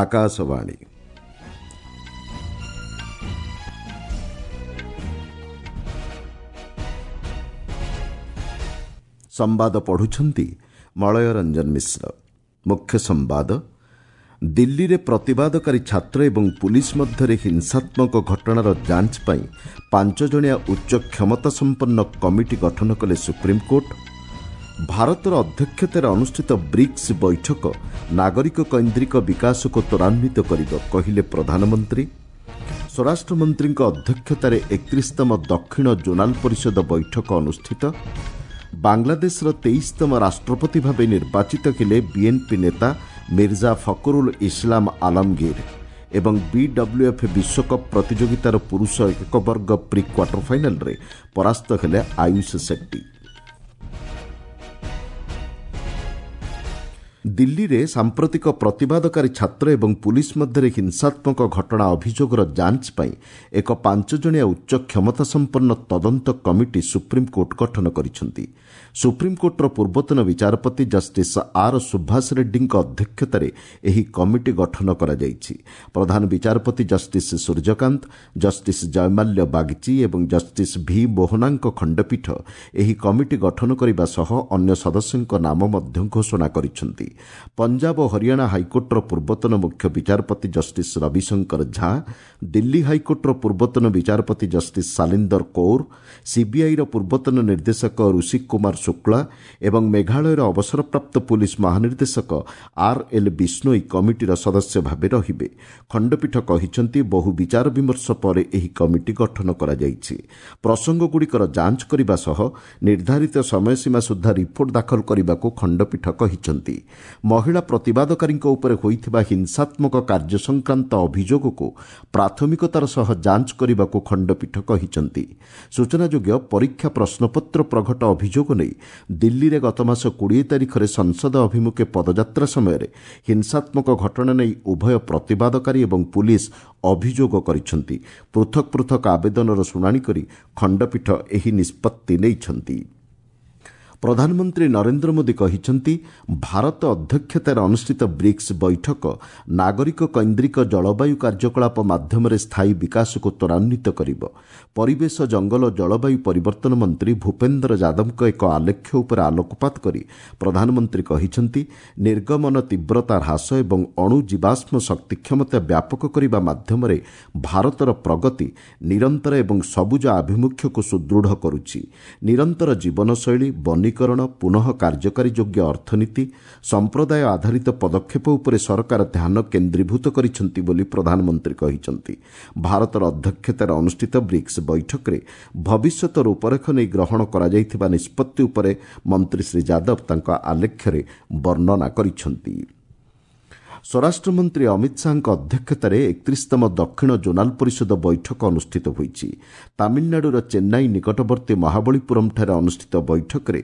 ଆକାଶବାଣୀ। ସମ୍ବାଦ ପଢୁଛନ୍ତି ମଳୟ ରଞ୍ଜନ ମିଶ୍ର। ମୁଖ୍ୟ ସମ୍ବାଦ। ଦିଲ୍ଲୀରେ ପ୍ରତିବାଦକାରୀ ଛାତ୍ର ଏବଂ ପୁଲିସ୍ ମଧ୍ୟରେ ହିଂସାତ୍ମକ ଘଟଣାର ଯାଞ୍ଚ ପାଇଁ 5 ଜଣିଆ ଉଚ୍ଚ କ୍ଷମତାସମ୍ପନ୍ନ କମିଟି ଗଠନ କଲେ ସୁପ୍ରିମକୋର୍ଟ। ଭାରତର ଅଧ୍ୟକ୍ଷତାରେ ଅନୁଷ୍ଠିତ ବ୍ରିକ୍ସ ବୈଠକ ନାଗରିକ କୈନ୍ଦ୍ରିକ ବିକାଶକୁ ତ୍ୱରାନ୍ୱିତ କରିବ, କହିଲେ ପ୍ରଧାନମନ୍ତ୍ରୀ। ସ୍ୱରାଷ୍ଟ୍ରମନ୍ତ୍ରୀଙ୍କ ଅଧ୍ୟକ୍ଷତାରେ 31ତମ ଦକ୍ଷିଣ ଜୋନାଲ ପରିଷଦ ବୈଠକ ଅନୁଷ୍ଠିତ। ବାଂଲାଦେଶର 23ତମ ରାଷ୍ଟ୍ରପତି ଭାବେ ନିର୍ବାଚିତ ହେଲେ ବିଏନ୍ପି ନେତା ମିର୍ଜା ଫକରୁଲ ଇସଲାମ ଆଲମଗୀର। ଏବଂ ବିଡବ୍ଲ୍ୟୁଏଫ୍ ବିଶ୍ୱକପ୍ ପ୍ରତିଯୋଗିତାର ପୁରୁଷ ଏକକ ବର୍ଗ ପ୍ରି କ୍ୱାର୍ଟର ଫାଇନାଲରେ ପରାସ୍ତ ହେଲେ ଆୟୁଷ ସେଟ୍ଟି। ଦିଲ୍ଲୀରେ ସାମ୍ପ୍ରତିକ ପ୍ରତିବାଦକାରୀ ଛାତ୍ର ଏବଂ ପୁଲିସ୍ ମଧ୍ୟରେ ହିଂସାତ୍ମକ ଘଟଣା ଅଭିଯୋଗର ଯାଞ୍ଚ ପାଇଁ ଏକ 5 ଜଣିଆ ଉଚ୍ଚ କ୍ଷମତାସମ୍ପନ୍ନ ତଦନ୍ତ କମିଟି ସୁପ୍ରିମକୋର୍ଟ ଗଠନ କରିଛନ୍ତି। ସୁପ୍ରିମକୋର୍ଟର ପୂର୍ବତନ ବିଚାରପତି ଜଷ୍ଟିସ୍ ଆର୍ ସୁଭାଷ ରେଡ୍ଡୀଙ୍କ ଅଧ୍ୟକ୍ଷତାରେ ଏହି କମିଟି ଗଠନ କରାଯାଇଛି। ପ୍ରଧାନ ବିଚାରପତି ଜଷ୍ଟିସ୍ ସୂର୍ଯ୍ୟକାନ୍ତ, ଜଷ୍ଟିସ୍ ଜୟମାଲ୍ୟ ବାଗଚି ଏବଂ ଜଷ୍ଟିସ୍ ଭି ମୋହନାଙ୍କ ଖଣ୍ଡପୀଠ ଏହି କମିଟି ଗଠନ କରିବା ସହ ଅନ୍ୟ ସଦସ୍ୟଙ୍କ ନାମ ମଧ୍ୟ ଘୋଷଣା କରିଛନ୍ତି। ପଞ୍ଜାବ ଓ ହରିୟାଣା ହାଇକୋର୍ଟର ପୂର୍ବତନ ମୁଖ୍ୟ ବିଚାରପତି ଜଷ୍ଟିସ୍ ରବିଶଙ୍କର ଝା, ଦିଲ୍ଲୀ ହାଇକୋର୍ଟର ପୂର୍ବତନ ବିଚାରପତି ଜଷ୍ଟିସ୍ ଶାଲିନ୍ଦର କୌର, ସିବିଆଇର ପୂର୍ବତନ ନିର୍ଦ୍ଦେଶକ ଋଷି କୁମାର ଶୁକ୍ଳା ଏବଂ ମେଘାଳୟର ଅବସରପ୍ରାପ୍ତ ପୁଲିସ୍ ମହାନିର୍ଦ୍ଦେଶକ ଆର୍ ଏଲ୍ ବିଷ୍ଣୋଇ କମିଟିର ସଦସ୍ୟ ଭାବେ ରହିବେ। ଖଣ୍ଡପୀଠ କହିଛନ୍ତି, ବହୁ ବିଚାର ବିମର୍ଶ ପରେ ଏହି କମିଟି ଗଠନ କରାଯାଇଛି। ପ୍ରସଙ୍ଗଗୁଡ଼ିକର ଯାଞ୍ଚ କରିବା ସହ ନିର୍ଦ୍ଧାରିତ ସମୟସୀମା ସୁଦ୍ଧା ରିପୋର୍ଟ ଦାଖଲ କରିବାକୁ ଖଣ୍ଡପୀଠ କହିଛନ୍ତି। ମହିଳା ପ୍ରତିବାଦକାରୀଙ୍କ ଉପରେ ହୋଇଥିବା ହିଂସାତ୍ମକ କାର୍ଯ୍ୟ ସଂକ୍ରାନ୍ତ ଅଭିଯୋଗକୁ ପ୍ରାଥମିକତାର ସହ ଯାଞ୍ଚ କରିବାକୁ ଖଣ୍ଡପୀଠ କହିଛନ୍ତି। ସୂଚନାଯୋଗ୍ୟ, ପରୀକ୍ଷା ପ୍ରଶ୍ନପତ୍ର ପ୍ରଘଟ ଅଭିଯୋଗ ନେଇ ଦିଲ୍ଲୀରେ ଗତମାସ 20 ତାରିଖରେ ସଂସଦ ଅଭିମୁଖେ ପଦଯାତ୍ରା ସମୟରେ ହିଂସାତ୍ମକ ଘଟଣା ନେଇ ଉଭୟ ପ୍ରତିବାଦକାରୀ ଏବଂ ପୁଲିସ୍ ଅଭିଯୋଗ କରିଛନ୍ତି। ପୃଥକ ପୃଥକ ଆବେଦନର ଶୁଣାଣି କରି ଖଣ୍ଡପୀଠ ଏହି ନିଷ୍ପତ୍ତି ନେଇଛନ୍ତି। ପ୍ରଧାନମନ୍ତ୍ରୀ ନରେନ୍ଦ୍ର ମୋଦି କହିଛନ୍ତି, ଭାରତ ଅଧ୍ୟକ୍ଷତାରେ ଅନୁଷ୍ଠିତ ବ୍ରିକ୍ସ ବୈଠକ ନାଗରିକ କୈନ୍ଦ୍ରିକ ଜଳବାୟୁ କାର୍ଯ୍ୟକଳାପ ମାଧ୍ୟମରେ ସ୍ଥାୟୀ ବିକାଶକୁ ତ୍ୱରାନ୍ୱିତ କରିବ। ପରିବେଶ, ଜଙ୍ଗଲ, ଜଳବାୟୁ ପରିବର୍ତ୍ତନ ମନ୍ତ୍ରୀ ଭୂପେନ୍ଦ୍ର ଯାଦବଙ୍କ ଏକ ଆଲେଖ୍ୟ ଉପରେ ଆଲୋକପାତ କରି ପ୍ରଧାନମନ୍ତ୍ରୀ କହିଛନ୍ତି, ନିର୍ଗମନ ତୀବ୍ରତା ହ୍ରାସ ଏବଂ ଅଣୁ ଜୀବାଶ୍ମ ଶକ୍ତି କ୍ଷମତା ବ୍ୟାପକ କରିବା ମାଧ୍ୟମରେ ଭାରତର ପ୍ରଗତି ନିରନ୍ତର ଏବଂ ସବୁଜ ଆଭିମୁଖ୍ୟକୁ ସୁଦୃଢ଼ କରୁଛି। ନିରନ୍ତର ଜୀବନଶୈଳୀ, ବନୀକରଣ, ପୁନଃ କାର୍ଯ୍ୟକାରୀ ଯୋଗ୍ୟ ଅର୍ଥନୀତି, ସମ୍ପ୍ରଦାୟ ଆଧାରିତ ପଦକ୍ଷେପ ଉପରେ ସରକାର ଧ୍ୟାନ କେନ୍ଦ୍ରୀଭୂତ କରିଛନ୍ତି ବୋଲି ପ୍ରଧାନମନ୍ତ୍ରୀ କହିଛନ୍ତି। ଭାରତର ଅଧ୍ୟକ୍ଷତାରେ ଅନୁଷ୍ଠିତ ବ୍ରିକ୍ସ ବୈଠକରେ ଭବିଷ୍ୟତ ରୂପରେଖ ନେଇ ଗ୍ରହଣ କରାଯାଇଥିବା ନିଷ୍ପତ୍ତି ଉପରେ ମନ୍ତ୍ରୀ ଶ୍ରୀ ଯାଦବ ତାଙ୍କ ଆଲେଖ୍ୟରେ ବର୍ଣ୍ଣନା କରିଛନ୍ତି। ସ୍ୱରାଷ୍ଟ୍ରମନ୍ତ୍ରୀ ଅମିତ ଶାହାଙ୍କ ଅଧ୍ୟକ୍ଷତାରେ 31ତମ ଦକ୍ଷିଣ ଜୋନାଲ ପରିଷଦ ବୈଠକ ଅନୁଷ୍ଠିତ ହୋଇଛି। ତାମିଲନାଡୁର ଚେନ୍ନାଇ ନିକଟବର୍ତ୍ତୀ ମହାବଳୀପୁରମ୍ଠାରେ ଅନୁଷ୍ଠିତ ବୈଠକରେ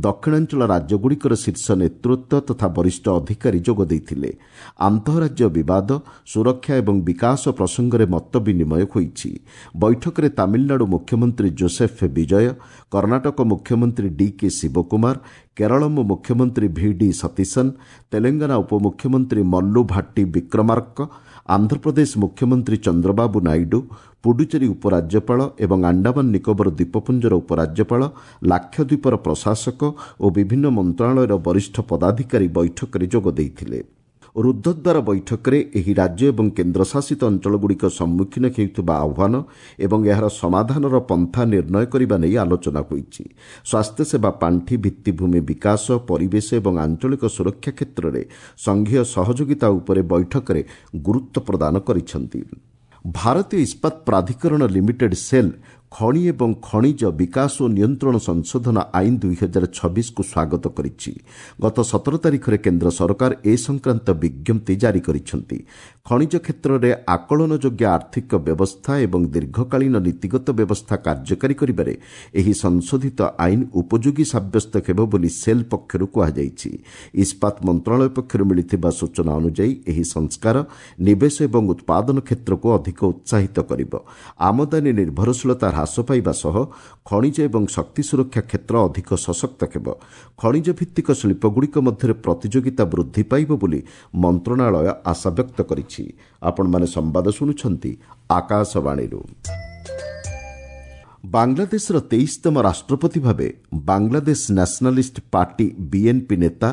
ଦକ୍ଷିଣାଞ୍ଚଳ ରାଜ୍ୟଗୁଡ଼ିକର ଶୀର୍ଷ ନେତୃତ୍ୱ ତଥା ବରିଷ୍ଠ ଅଧିକାରୀ ଯୋଗ ଦେଇଥିଲେ। ଆନ୍ତଃରାଜ୍ୟ ବିବାଦ, ସୁରକ୍ଷା ଏବଂ ବିକାଶ ପ୍ରସଙ୍ଗରେ ମତ ବିନିମୟ ହୋଇଛି। ବୈଠକରେ ତାମିଲନାଡୁ ମୁଖ୍ୟମନ୍ତ୍ରୀ ଜୋସେଫ ବିଜୟ, କର୍ଣ୍ଣାଟକ ମୁଖ୍ୟମନ୍ତ୍ରୀ ଡି କେ ଶିବକୁମାର, କେରଳମ ମୁଖ୍ୟମନ୍ତ୍ରୀ ଭି ଡି ସତୀଶନ, ତେଲେଙ୍ଗାନା ଉପମୁଖ୍ୟମନ୍ତ୍ରୀ ମଲ୍ଲୁ ଭାଟ୍ଟି ବିକ୍ରମାର୍କ, ଆନ୍ଧ୍ରପ୍ରଦେଶ ମୁଖ୍ୟମନ୍ତ୍ରୀ ଚନ୍ଦ୍ରବାବୁ ନାଇଡୁ, ପୁଡୁଚେରୀ ଉପରାଜ୍ୟପାଳ ଏବଂ ଆଣ୍ଡାମାନ ନିକୋବର ଦ୍ୱୀପପୁଞ୍ଜର ଉପରାଜ୍ୟପାଳ, ଲାକ୍ଷାଦ୍ୱୀପର ପ୍ରଶାସକ ଓ ବିଭିନ୍ନ ମନ୍ତ୍ରଣାଳୟର ବରିଷ୍ଠ ପଦାଧିକାରୀ ବୈଠକରେ ଯୋଗ ଦେଇଥିଲେ। ରୁଦ୍ଧଦ୍ୱାର ବୈଠକରେ ଏହି ରାଜ୍ୟ ଏବଂ କେନ୍ଦ୍ରଶାସିତ ଅଞ୍ଚଳଗୁଡ଼ିକ ସମ୍ମୁଖୀନ ହେଉଥିବା ଆହ୍ୱାନ ଏବଂ ଏହାର ସମାଧାନର ପନ୍ଥା ନିର୍ଣ୍ଣୟ କରିବା ନେଇ ଆଲୋଚନା ହୋଇଛି। ସ୍ୱାସ୍ଥ୍ୟସେବା ପାଣ୍ଠି, ଭିତ୍ତିଭୂମି ବିକାଶ, ପରିବେଶ ଏବଂ ଆଞ୍ଚଳିକ ସୁରକ୍ଷା କ୍ଷେତ୍ରରେ ସଂଘୀୟ ସହଯୋଗିତା ଉପରେ ବୈଠକରେ ଗୁରୁତ୍ୱ ପ୍ରଦାନ କରିଛନ୍ତି। ଭାରତୀୟ ଇସ୍ପାତ ପ୍ରାଧିକରଣ ଲିମିଟେଡ୍ ସେଲ୍ ଖଣି ଏବଂ ଖଣିଜ ବିକାଶ ଓ ନିୟନ୍ତ୍ରଣ ସଂଶୋଧନ ଆଇନ 2026କୁ ସ୍ୱାଗତ କରିଛି। ଗତ 17 ତାରିଖରେ କେନ୍ଦ୍ର ସରକାର ଏ ସଂକ୍ରାନ୍ତ ବିଜ୍ଞପ୍ତି ଜାରି କରିଛନ୍ତି। ଖଣିଜ କ୍ଷେତ୍ରରେ ଆକଳନଯୋଗ୍ୟ ଆର୍ଥିକ ବ୍ୟବସ୍ଥା ଏବଂ ଦୀର୍ଘକାଳୀନ ନୀତିଗତ ବ୍ୟବସ୍ଥା କାର୍ଯ୍ୟକାରୀ କରିବାରେ ଏହି ସଂଶୋଧିତ ଆଇନ ଉପଯୋଗୀ ସାବ୍ୟସ୍ତ ହେବ ବୋଲି ସେଲ୍ ପକ୍ଷରୁ କୁହାଯାଇଛି। ଇସ୍ପାତ ମନ୍ତ୍ରଣାଳୟ ପକ୍ଷରୁ ମିଳିଥିବା ସୂଚନା ଅନୁଯାୟୀ ଏହି ସଂସ୍କାର ନିବେଶ ଏବଂ ଉତ୍ପାଦନ କ୍ଷେତ୍ରକୁ ଅଧିକ ଉତ୍ସାହିତ କରିବ, ଆମଦାନୀ ନିର୍ଭରଶୀଳତା ହ୍ରାସ ହ୍ରାସ ପାଇବା ସହ ଖଣିଜ ଏବଂ ଶକ୍ତି ସୁରକ୍ଷା କ୍ଷେତ୍ର ଅଧିକ ସଶକ୍ତ ହେବ। ଖଣିଜ ଭିତ୍ତିକ ଶିଳ୍ପଗୁଡ଼ିକ ମଧ୍ୟରେ ପ୍ରତିଯୋଗିତା ବୃଦ୍ଧି ପାଇବ ବୋଲି ମନ୍ତ୍ରଣାଳୟ ଆଶାବ୍ୟକ୍ତ କରିଛି। ଆପଣମାନେ ସମ୍ବାଦ ଶୁଣୁଛନ୍ତି ଆକାଶବାଣୀରୁ। ବାଂଲାଦେଶର 23ତମ ରାଷ୍ଟ୍ରପତି ଭାବେ ବାଂଲାଦେଶ ନ୍ୟାସନାଲିଷ୍ଟ ପାର୍ଟି ବିଏନ୍ପି ନେତା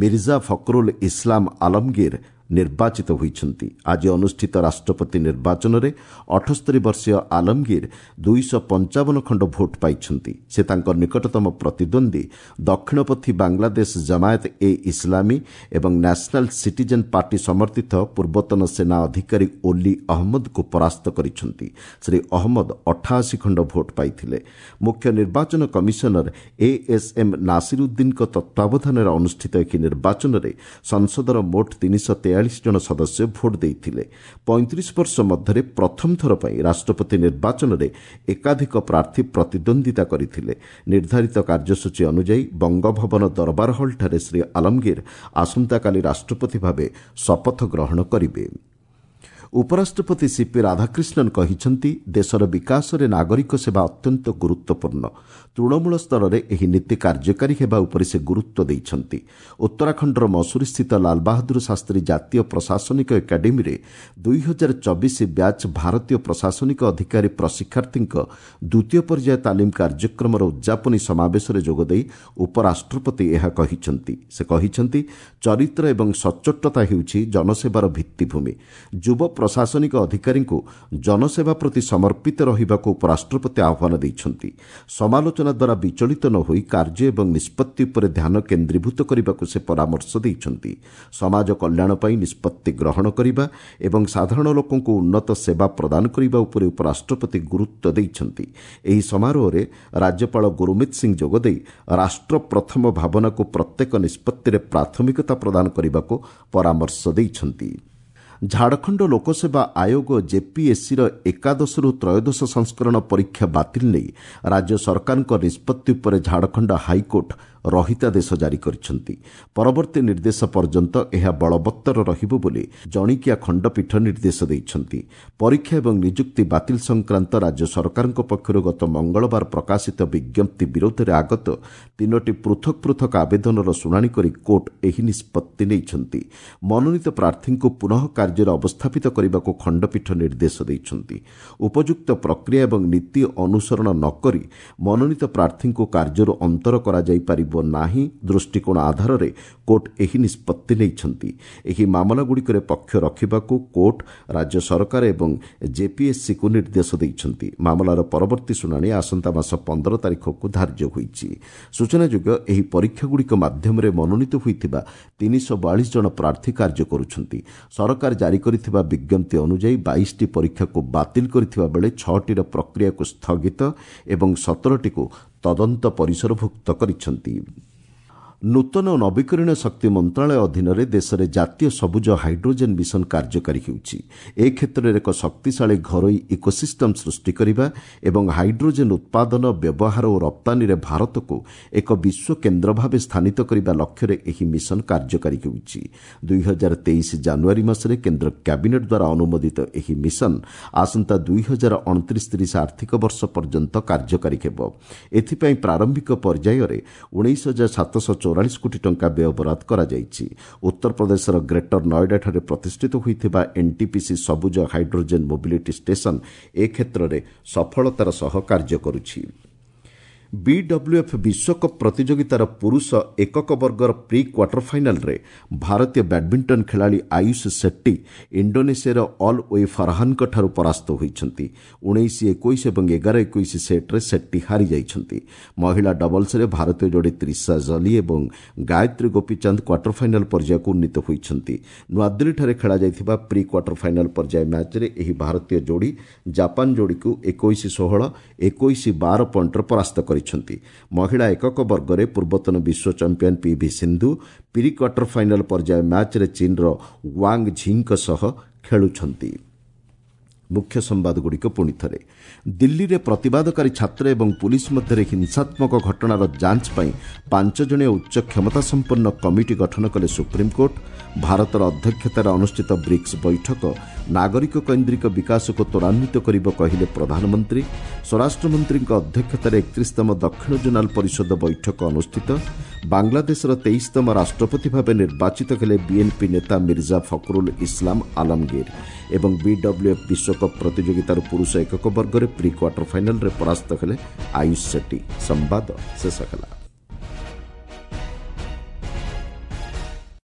ମିର୍ଜା ଫକରୁଲ ଇସ୍ଲାମ ଆଲମଗୀର ନିର୍ବାଚିତ ହୋଇଛନ୍ତି। ଆଜି ଅନୁଷ୍ଠିତ ରାଷ୍ଟ୍ରପତି ନିର୍ବାଚନରେ 78 ବର୍ଷୀୟ ଆଲମଗୀର 255 ଖଣ୍ଡ ଭୋଟ୍ ପାଇଛନ୍ତି। ସେ ତାଙ୍କ ନିକଟତମ ପ୍ରତିଦ୍ୱନ୍ଦ୍ୱୀ ଦକ୍ଷିଣପନ୍ଥୀ ବାଂଲାଦେଶ ଜମାୟତ ଏ ଇସ୍ଲାମୀ ଏବଂ ନ୍ୟାସନାଲ୍ ସିଟିଜେନ୍ ପାର୍ଟି ସମର୍ଥିତ ପୂର୍ବତନ ସେନା ଅଧିକାରୀ ଓଲି ଅହମ୍ମଦଙ୍କୁ ପରାସ୍ତ କରିଛନ୍ତି। ଶ୍ରୀ ଅହମ୍ମଦ 88 ଖଣ୍ଡ ଭୋଟ୍ ପାଇଥିଲେ। ମୁଖ୍ୟ ନିର୍ବାଚନ କମିଶନର ଏଏସ୍ଏମ୍ ନାସିରୁଦ୍ଦିନଙ୍କ ତତ୍ତ୍ୱାବଧାନରେ ଅନୁଷ୍ଠିତ ଏହି ନିର୍ବାଚନରେ ସଂସଦର ମୋଟ 343 ଜଣ ସଦସ୍ୟ ଭୋଟ୍ ଦେଇଥିଲେ। 35 ବର୍ଷ ମଧ୍ୟରେ ପ୍ରଥମ ଥର ପାଇଁ ରାଷ୍ଟ୍ରପତି ନିର୍ବାଚନରେ ଏକାଧିକ ପ୍ରାର୍ଥୀ ପ୍ରତିଦ୍ୱନ୍ଦ୍ୱିତା କରିଥିଲେ। ନିର୍ଦ୍ଧାରିତ କାର୍ଯ୍ୟସୂଚୀ ଅନୁଯାୟୀ ବଙ୍ଗଭବନ ଦରବାର ହଲ୍ଠାରେ ଶ୍ରୀ ଆଲମଗୀର ଆସନ୍ତାକାଲି ରାଷ୍ଟ୍ରପତି ଭାବେ ଶପଥ ଗ୍ରହଣ କରିବେ। ଉପରାଷ୍ଟ୍ରପତି ସିପି ରାଧାକ୍ରିଷ୍ଣନ୍ କହିଛନ୍ତି, ଦେଶର ବିକାଶରେ ନାଗରିକ ସେବା ଅତ୍ୟନ୍ତ ଗୁରୁତ୍ୱପୂର୍ଣ୍ଣ। ତୃଣମୂଳ ସ୍ତରରେ ଏହି ନୀତି କାର୍ଯ୍ୟକାରୀ ହେବା ଉପରେ ସେ ଗୁରୁତ୍ୱ ଦେଇଛନ୍ତି। ଉତ୍ତରାଖଣ୍ଡର ମସୁରୀସ୍ଥିତ ଲାଲବାହାଦୁର ଶାସ୍ତ୍ରୀ ଜାତୀୟ ପ୍ରଶାସନିକ ଏକାଡେମୀରେ 2024 ବ୍ୟାଚ୍ ଭାରତୀୟ ପ୍ରଶାସନିକ ଅଧିକାରୀ ପ୍ରଶିକ୍ଷାର୍ଥୀଙ୍କ ଦ୍ୱିତୀୟ ପର୍ଯ୍ୟାୟ ତାଲିମ କାର୍ଯ୍ୟକ୍ରମର ଉଦ୍ଯାପନୀ ସମାବେଶରେ ଯୋଗଦେଇ ଉପରାଷ୍ଟ୍ରପତି ଏହା କହିଛନ୍ତି। ସେ କହିଛନ୍ତି, ଚରିତ୍ର ଏବଂ ସଚ୍ଚୋଟତା ହେଉଛି ଜନସେବାର ଭିତ୍ତିଭୂମି। ଯୁବ ପ୍ରଶାସନିକ ଅଧିକାରୀଙ୍କୁ ଜନସେବା ପ୍ରତି ସମର୍ପିତ ରହିବାକୁ ଉପରାଷ୍ଟ୍ରପତି ଆହ୍ୱାନ ଦେଇଛନ୍ତି। ସମାଲୋଚନା ଦ୍ୱାରା ବିଚଳିତ ନ ହୋଇ କାର୍ଯ୍ୟ ଏବଂ ନିଷ୍ପତ୍ତି ଉପରେ ଧ୍ୟାନ କେନ୍ଦ୍ରୀଭୂତ କରିବାକୁ ସେ ପରାମର୍ଶ ଦେଇଛନ୍ତି। ସମାଜ କଲ୍ୟାଣ ପାଇଁ ନିଷ୍ପତ୍ତି ଗ୍ରହଣ କରିବା ଏବଂ ସାଧାରଣ ଲୋକଙ୍କୁ ଉନ୍ନତ ସେବା ପ୍ରଦାନ କରିବା ଉପରେ ଉପରାଷ୍ଟ୍ରପତି ଗୁରୁତ୍ୱ ଦେଇଛନ୍ତି। ଏହି ସମାରୋହରେ ରାଜ୍ୟପାଳ ଗୁରୁମିତ ସିଂ ଯୋଗଦେଇ ରାଷ୍ଟ୍ର ପ୍ରଥମ ଭାବନାକୁ ପ୍ରତ୍ୟେକ ନିଷ୍ପତ୍ତିରେ ପ୍ରାଥମିକତା ପ୍ରଦାନ କରିବାକୁ ପରାମର୍ଶ ଦେଇଛନ୍ତି। ଝାଡ଼ଖଣ୍ଡ ଲୋକସେବା ଆୟୋଗ ଜେପିଏସ୍ସିର ଏକାଦଶରୁ ତ୍ରୟୋଦଶ ସଂସ୍କରଣ ପରୀକ୍ଷା ବାତିଲ ନେଇ ରାଜ୍ୟ ସରକାରଙ୍କ ନିଷ୍ପତ୍ତି ଉପରେ ଝାଡ଼ଖଣ୍ଡ ହାଇକୋର୍ଟ ରହିତାଦେଶ ଜାରି କରିଛନ୍ତି। ପରବର୍ତ୍ତୀ ନିର୍ଦ୍ଦେଶ ପର୍ଯ୍ୟନ୍ତ ଏହା ବଳବତ୍ତର ରହିବ ବୋଲି ଜଣିକିଆ ଖଣ୍ଡପୀଠ ନିର୍ଦ୍ଦେଶ ଦେଇଛନ୍ତି। ପରୀକ୍ଷା ଏବଂ ନିଯୁକ୍ତି ବାତିଲ ସଂକ୍ରାନ୍ତ ରାଜ୍ୟ ସରକାରଙ୍କ ପକ୍ଷରୁ ଗତ ମଙ୍ଗଳବାର ପ୍ରକାଶିତ ବିଜ୍ଞପ୍ତି ବିରୋଧରେ ଆଗତ 3ଟି ପୃଥକ ପୃଥକ ଆବେଦନର ଶୁଣାଣି କରି କୋର୍ଟ ଏହି ନିଷ୍ପତ୍ତି ନେଇଛନ୍ତି। ମନୋନୀତ ପ୍ରାର୍ଥୀଙ୍କୁ ପୁନଃ କାର୍ଯ୍ୟରେ ଅବସ୍ଥାପିତ କରିବାକୁ ଖଣ୍ଡପୀଠ ନିର୍ଦ୍ଦେଶ ଦେଇଛନ୍ତି। ଉପଯୁକ୍ତ ପ୍ରକ୍ରିୟା ଏବଂ ନୀତି ଅନୁସରଣ ନ କରି ମନୋନୀତ ପ୍ରାର୍ଥୀଙ୍କୁ କାର୍ଯ୍ୟରୁ ଅନ୍ତର କରାଯାଇପାରିବ ନାହିଁ ଦୃଷ୍ଟିକୋଣ ଆଧାରରେ କୋର୍ଟ ଏହି ନିଷ୍ପତ୍ତି ନେଇଛନ୍ତି। ଏହି ମାମଲାଗୁଡ଼ିକରେ ପକ୍ଷ ରଖିବାକୁ କୋର୍ଟ ରାଜ୍ୟ ସରକାର ଏବଂ ଜେପିଏସ୍ସିକୁ ନିର୍ଦ୍ଦେଶ ଦେଇଛନ୍ତି। ମାମଲାର ପରବର୍ତ୍ତୀ ଶୁଣାଣି ଆସନ୍ତା ମାସ 15 ତାରିଖକୁ ଧାର୍ଯ୍ୟ ହୋଇଛି। ସୂଚନାଯୋଗ୍ୟ, ଏହି ପରୀକ୍ଷାଗୁଡ଼ିକ ମାଧ୍ୟମରେ ମନୋନୀତ ହୋଇଥିବା 342 ଜଣ ପ୍ରାର୍ଥୀ କାର୍ଯ୍ୟ କରୁଛନ୍ତି। ସରକାର ଜାରି କରିଥିବା ବିଜ୍ଞପ୍ତି ଅନୁଯାୟୀ 22ଟି ପରୀକ୍ଷାକୁ ବାତିଲ କରିଥିବା ବେଳେ 6ଟିର ପ୍ରକ୍ରିୟାକୁ ସ୍ଥଗିତ ଏବଂ 17ଟିକୁ ତଦନ୍ତ ପରିସରଭୁକ୍ତ କରିଛନ୍ତି। ନୂତନ ଓ ନବୀକରଣୀୟ ଶକ୍ତି ମନ୍ତ୍ରଣାଳୟ ଅଧୀନରେ ଦେଶରେ ଜାତୀୟ ସବୁଜ ହାଇଡ୍ରୋଜେନ୍ ମିଶନ କାର୍ଯ୍ୟକାରୀ ହେଉଛି। ଏ କ୍ଷେତ୍ରରେ ଏକ ଶକ୍ତିଶାଳୀ ଘରୋଇ ଇକୋସିଷ୍ଟମ୍ ସୃଷ୍ଟି କରିବା ଏବଂ ହାଇଡ୍ରୋଜେନ୍ ଉତ୍ପାଦନ, ବ୍ୟବହାର ଓ ରପ୍ତାନୀରେ ଭାରତକୁ ଏକ ବିଶ୍ୱ କେନ୍ଦ୍ର ଭାବେ ସ୍ଥାନିତ କରିବା ଲକ୍ଷ୍ୟରେ ଏହି ମିଶନ କାର୍ଯ୍ୟକାରୀ ହେଉଛି। 2023 ଜାନୁଆରୀ ମାସରେ କେନ୍ଦ୍ର କ୍ୟାବିନେଟ୍ ଦ୍ୱାରା ଅନୁମୋଦିତ ଏହି ମିଶନ ଆସନ୍ତା 2029-30 ଆର୍ଥିକ ବର୍ଷ ପର୍ଯ୍ୟନ୍ତ କାର୍ଯ୍ୟକାରୀ ହେବ। ଏଥିପାଇଁ ପ୍ରାରମ୍ଭିକ ପର୍ଯ୍ୟାୟରେ 19,744 କୋଟି ଟଙ୍କା ବ୍ୟୟବରାଦ କରାଯାଇଛି। ଉତ୍ତରପ୍ରଦେଶର ଗ୍ରେଟର ନଏଡାଠାରେ ପ୍ରତିଷ୍ଠିତ ହୋଇଥିବା ଏନ୍ଟିପିସି ସବୁଜ ହାଇଡ୍ରୋଜେନ୍ ମୋବିଲିଟି ଷ୍ଟେସନ ଏ କ୍ଷେତ୍ରରେ ସଫଳତାର ସହ କାର୍ଯ୍ୟ କରୁଛି। ବିଡବ୍ଲ୍ୟୁଏଫ୍ ବିଶ୍ୱକପ୍ ପ୍ରତିଯୋଗିତାର ପୁରୁଷ ଏକକ ବର୍ଗର ପ୍ରି କ୍ୱାର୍ଟର ଫାଇନାଲ୍ରେ ଭାରତୀୟ ବ୍ୟାଡ୍ମିଣ୍ଟନ ଖେଳାଳି ଆୟୁଷ ସେଟ୍ଟି ଇଣ୍ଡୋନେସିଆର ଅଲ୍ we ଫରହାନଙ୍କଠାରୁ ପରାସ୍ତ ହୋଇଛନ୍ତି। 19-21 ଏବଂ 11-21 ସେଟ୍ରେ ସେଟ୍ଟି ହାରିଯାଇଛନ୍ତି। ମହିଳା ଡବଲ୍ସରେ ଭାରତୀୟ ଯୋଡ଼ି ତ୍ରିଶା ଜଲି ଏବଂ ଗାୟତ୍ରୀ ଗୋପୀଚାନ୍ଦ କ୍ୱାର୍ଟର ଫାଇନାଲ୍ ପର୍ଯ୍ୟାୟକୁ ଉନ୍ନୀତ ହୋଇଛନ୍ତି। ନୂଆଦିଲ୍ଲୀଠାରେ ଖେଳାଯାଇଥିବା ପ୍ରି କ୍ୱାର୍ଟର ଫାଇନାଲ୍ ପର୍ଯ୍ୟାୟ ମ୍ୟାଚ୍ରେ ଏହି ଭାରତୀୟ ଯୋଡ଼ି ଜାପାନ ଯୋଡ଼ିକୁ 21-16, 21-12 ପଏଣ୍ଟରେ ପରାସ୍ତ କରିଛନ୍ତି। ମହିଳା ଏକକ ବର୍ଗରେ ପୂର୍ବତନ ବିଶ୍ୱ champion PV Sindhu pre quarter final ପର୍ଯ୍ୟାୟ ମ୍ୟାଚ୍ରେ ଚୀନ୍ର ୱାଙ୍ଗ ଝିଙ୍କ ସହ ଖେଳୁଛନ୍ତି। ମୁଖ୍ୟ ସମ୍ବାଦଗୁଡ଼ିକ ପୁଣି ଥରେ। ଦିଲ୍ଲୀରେ ପ୍ରତିବାଦକାରୀ ଛାତ୍ର ଏବଂ ପୁଲିସ୍ ମଧ୍ୟରେ ହିଂସାତ୍ମକ ଘଟଣାର ଯାଞ୍ଚ ପାଇଁ 5 ଜଣିଆ ଉଚ୍ଚ କ୍ଷମତାସମ୍ପନ୍ନ କମିଟି ଗଠନ କଲେ ସୁପ୍ରିମକୋର୍ଟ। ଭାରତର ଅଧ୍ୟକ୍ଷତାରେ ଅନୁଷ୍ଠିତ ବ୍ରିକ୍ସ ବୈଠକ ନାଗରିକ କୈନ୍ଦ୍ରିକ ବିକାଶକୁ ତ୍ୱରାନ୍ୱିତ କରିବ କହିଲେ ପ୍ରଧାନମନ୍ତ୍ରୀ। ସ୍ୱରାଷ୍ଟ୍ରମନ୍ତ୍ରୀଙ୍କ ଅଧ୍ୟକ୍ଷତାରେ 31ତମ ଦକ୍ଷିଣ ଜୋନାଲ ପରିଷଦ ବୈଠକ ଅନୁଷ୍ଠିତ। ବାଂଲାଦେଶର 23ତମ ରାଷ୍ଟ୍ରପତି ଭାବେ ନିର୍ବାଚିତ ହେଲେ ବିଏନ୍ପି ନେତା ମିର୍ଜା ଫଖରୁଲ ଇସଲାମ ଆଲମଗୀର। ଏବଂ ବିଡବ୍ଲ୍ୟୁଏଫ୍ ବିଶ୍ୱକପ୍ ପ୍ରତିଯୋଗିତାର ପୁରୁଷ ଏକକ ବର୍ଗରେ ପ୍ରି କ୍ୱାର୍ଟର ଫାଇନାଲରେ ପରାସ୍ତ ହେଲେ ଆୟୁଷ ସେଟ୍ଟି। ସମ୍ବାଦ ଶେଷ ହେଲା।